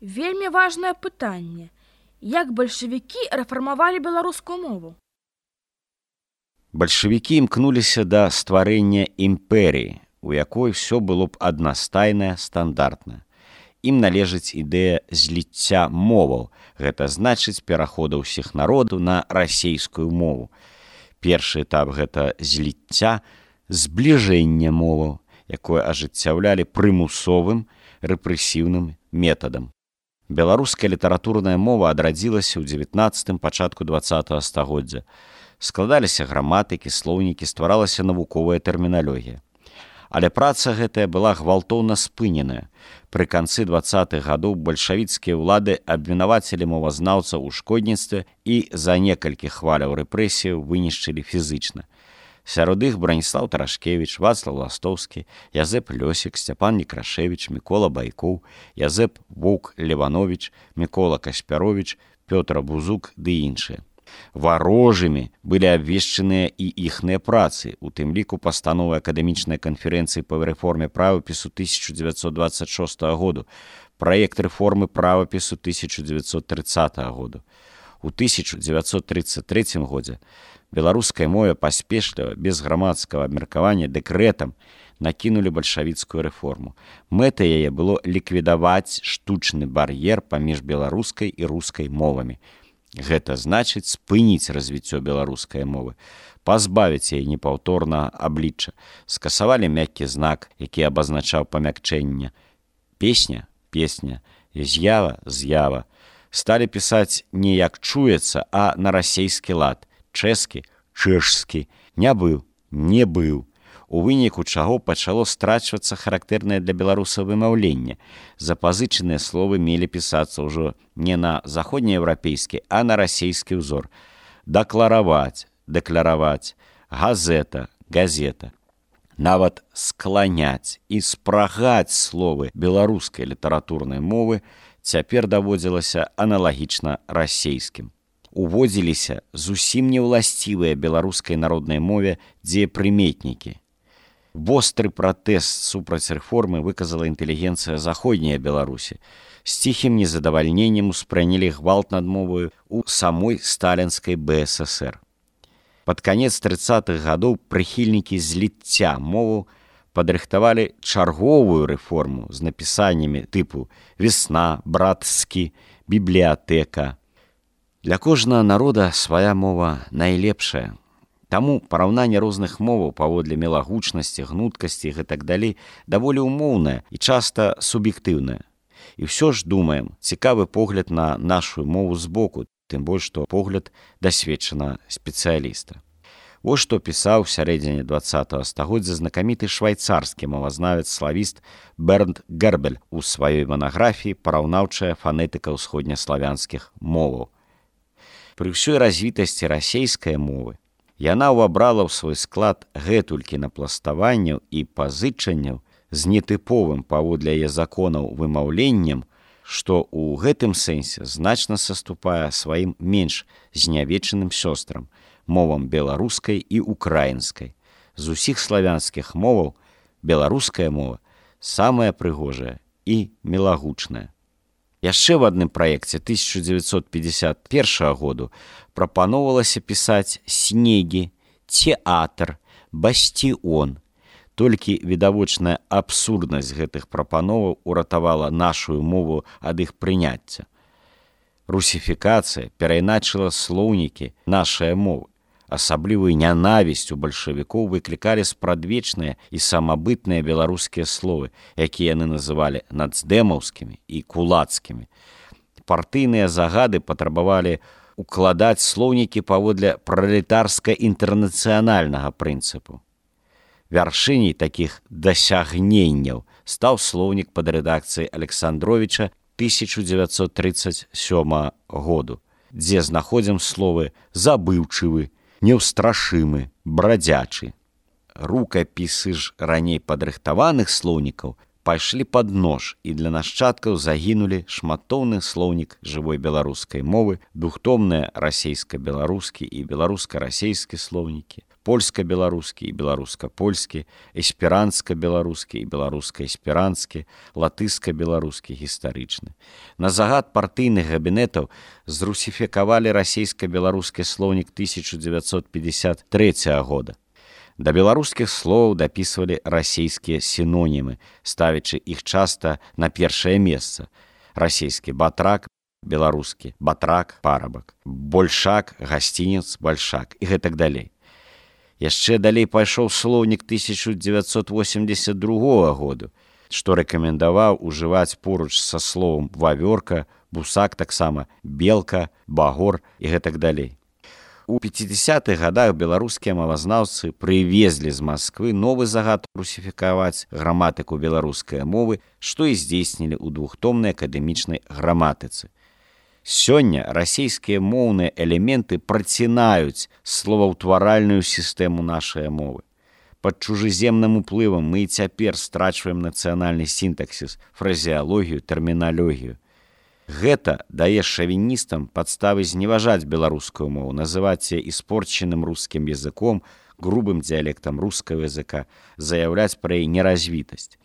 Вельмі важнае пытанне. Як бальшавікі рэфармавалі беларускую мову? Бальшавікі імкнуліся да стварэння імперыі, у якой все было б аднастайнае, стандартнае. Ім належыць ідэя зліцця моваў, гэта значыць перахода ўсіх народаў на расейскую мову. Першы этап гэта зліцця, збліжэння моваў, якое ажыццяўлялі прымусовым рэпрэсіўным метадам. Беларуская літаратурная мова адрадзілася ў 19-м, пачатку 20-го стагоддзя. Складаліся граматыкі, слоўнікі, стваралася навуковая тэрміналогія. Але праца гэтая была гвалтоўна спыненая. Пры канцы 20-х гадоў бальшавіцкія ўлады абвінавацілі мовазнаўцаў у шкодніцтве і за некалькі хваляў рэпрэсіяў вынішчылі фізычна. Сярод іх Браніслаў Тарашкевіч, Вацлаў Ластоўскі, Язэп Лёсік, Сцяпан Некрашевіч, Мікола Байкоў, Язэп Воўк Леванович, Мікола Каспяровіч, Пётр Бузук ды іншыя. Варожымі былі абвешчаныя і іхныя працы, у тым ліку пастановы акадэмічнай канферэнцыі па рэформе правапісу 1926 году, праект рэформы правапісу 1930 году. У 1933 годзе беларускай мове паспешліва, без грамадскага абмеркавання дэкрэтам накінулі бальшавіцкую рэформу. Мэтай яе было ліквідаваць штучны бар'ер паміж беларускай і рускай мовамі. Гэта значыць спыніць развіццё беларускай мовы, пазбавіць яе непаўторнага аблічча, скасавалі мяккі знак, які абазначаў памякчэнне. Песня – песня, з'ява – з'ява. Сталі пісаць не як чуецца, а на расейскі лад, чэшскі – чэшскі, не быў – не быў. У выніку чаго пачало страчвацца характэрнае для беларусаў вымаўленне. Запазычаныя словы мелі пісацца ўжо не на заходнееўрапейскі, а на расейскі ўзор. Даклараваць, дэкляраваць, газета, газета. Нават скланяць і спрагаць словы беларускай літаратурнай мовы цяпер даводзілася аналагічна расейскім. Уводзіліся зусім неўласцівыя беларускай народнай мове дзеепрыметнікі. Востры пратэст супраць рэформы выказала інтэлігенцыя заходняй Беларусі. З ціхім незадавальненнем успрынялі гвалт над моваю ў самой сталінскай БССР. Пад канец 30-х гадоў прыхільнікі зліцця моваў падрыхтавалі чарговую рэформу з напісаннямі тыпу «Весна», «Братскі», «Бібліятэка». Для кожнага народа свая мова найлепшая. Таму параўнанне розных моваў паводле мелагучнасці, гнуткасці і гэтак далей даволі ўмоўнае і часта суб'ектыўнае. І ўсё ж думаем, цікавы погляд на нашу мову збоку, тым больш, што погляд дасведчанага спецыяліста. Вось што пісаў у сярэдзіне 20-го стагоддзя знакаміты швайцарскі мовазнавец-славіст Бернт Гербель у сваёй манаграфіі «Параўнаўчая фанетыка ўсходнеславянскіх моваў». Пры ўсёй развітасці расейскай мовы яна ўвабрала ў свой склад гэтулькі напластаванняў і пазычанняў з нетыповым паводле яе законаў вымаўленнем, што ў гэтым сэнсе значна саступае сваім менш знявечаным сёстрам, мовам беларускай і украінскай. З усіх славянскіх моваў беларуская мова самая прыгожая і мелагучная. Яшчэ ў адным праекце 1951 году прапаноўвалася пісаць снегі, тэатр, басціон. Толькі відавочная абсурднасць гэтых прапановаў уратавала нашу мову ад іх прыняцця. Русіфікацыя перайначыла слоўнікі нашай мовы. Асаблівую нянавісць у бальшавікоў выклікалі спрадвечныя і самабытныя беларускія словы, якія яны называлі нацдэмаўскімі і кулацкімі. Партыйныя загады патрабавалі укладаць слоўнікі паводле пралетарска-інтэрнацыянальнага прынцыпу. Вяршыняй такіх дасягненняў стаў слоўнік пад рэдакцыяй Александровіча 1937 году, дзе знаходзім словы «забыўчывы», «неўстрашымы», «брадзячы». Рукапісы ж раней падрыхтаваных слоўнікаў пайшлі пад нож, і для нашчадкаў загінулі шматоўны слоўнік жывой беларускай мовы, двухтомныя расейска-беларускі і беларуска-расейскі слоўнікі, польска-беларускі і беларуска-польскі, эсперанска-беларускі і беларуска-эсперанскі, латыска-беларускі гістарычны. На загад партыйных кабінетаў зрусіфікавалі расейска-беларускі слоўнік 1953 года. Да беларускіх словаў дапісвалі расейскія сінонімы, ставячы іх часта на першае месца. Расейскі батрак, беларускі батрак, парабак, большак, гасцінец, бальшак і гэтак далей. Яшчэ далей пайшоў слоўнік 1982 году, што рэкамендаваў ужываць поруч са словам вавёрка, бусак таксама, белка, багор і гэтак далей. У 50-х гадах беларускія мовазнаўцы прывезлі з Масквы новы загад русіфікаваць граматыку беларускай мовы, што і здзейснілі ў двухтомнай акадэмічнай граматыцы. Сёння расійскія моўныя элементы працінаюць словаўтваральную сістэму нашай мовы. Пад чужаземным уплывам мы і цяпер страчваем нацыянальны сінтаксіс, фразеалогію, тэрміналогію. Гэта дае шавіністам падставы зневажаць беларускую мову, называць яе іспорчаным рускім языком, грубым дыялектам рускага языка, заяўляць пра яе неразвітасць.